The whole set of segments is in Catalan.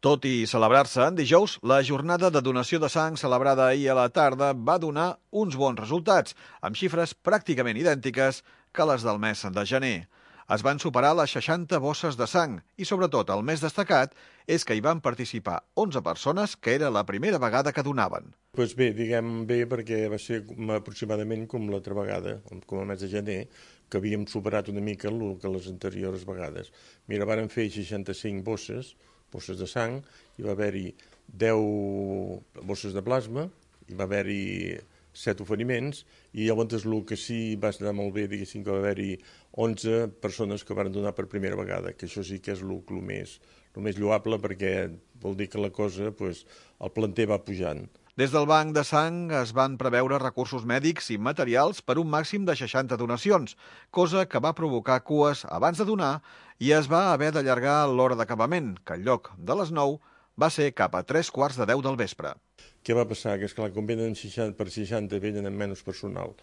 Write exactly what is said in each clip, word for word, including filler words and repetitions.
Tot i celebrar-se en dijous, la jornada de donació de sang celebrada ahir a la tarda va donar uns bons resultats, amb xifres pràcticament idèntiques que les del mes de gener. Es van superar les seixanta bosses de sang i, sobretot, el més destacat és que hi van participar onze persones, que era la primera vegada que donaven. Pues bé, diguem bé, perquè va ser aproximadament com l'altra vegada, com el mes de gener, que havíem superat una mica el que les anteriors vegades. Mira, vàrem fer seixanta-cinc bosses, bosses de sang, hi va haver-hi deu bosses de plasma, hi va haver-hi set oferiments, i llavors el que sí va estar molt bé, diguéssim, que va haver-hi onze persones que van donar per primera vegada, que això sí que és el, el, més, el més lloable, perquè vol dir que la cosa, pues, el planter va pujant. Des del banc de sang es van preveure recursos mèdics i materials per un màxim de seixanta donacions, cosa que va provocar cues abans de donar i es va haver d'allargar l'hora d'acabament, que en lloc de les nou va ser cap a tres quarts de deu del vespre. Què va passar? Que, esclar, com venen seixanta per seixanta, venen amb menys personal.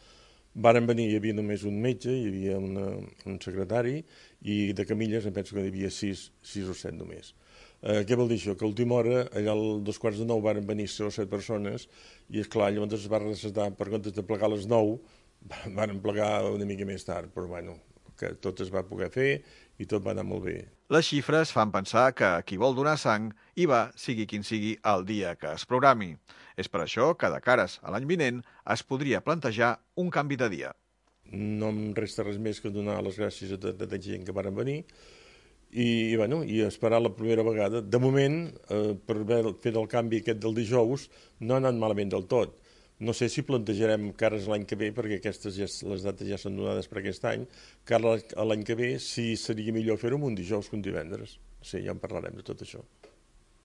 Varen venir, hi havia només un metge, hi havia una, un secretari, i de camilles em penso que hi havia sis, sis o set només. Eh, què vol dir això? Que a última hora, allà als dos quarts de nou, varen venir sis o set persones, i esclar, llavors es va recetar, per comptes de plegar a les nou, varen plegar una mica més tard, però bueno, que tot es va poder fer i tot va anar molt bé. Les xifres fan pensar que qui vol donar sang hi va, sigui quin sigui el dia que es programi. És per això que de cares a l'any vinent es podria plantejar un canvi de dia. No em resta res més que donar les gràcies a tota la gent que varen venir i, i, bueno, i esperar la primera vegada. De moment, eh, per fer el canvi aquest del dijous, no ha anat malament del tot. No sé si plantejarem cares l'any que ve, perquè aquestes ja, les dates ja són donades per aquest any, cara l'any que ve, si seria millor fer-ho un dijous que un divendres. Sí, ja en parlarem de tot això.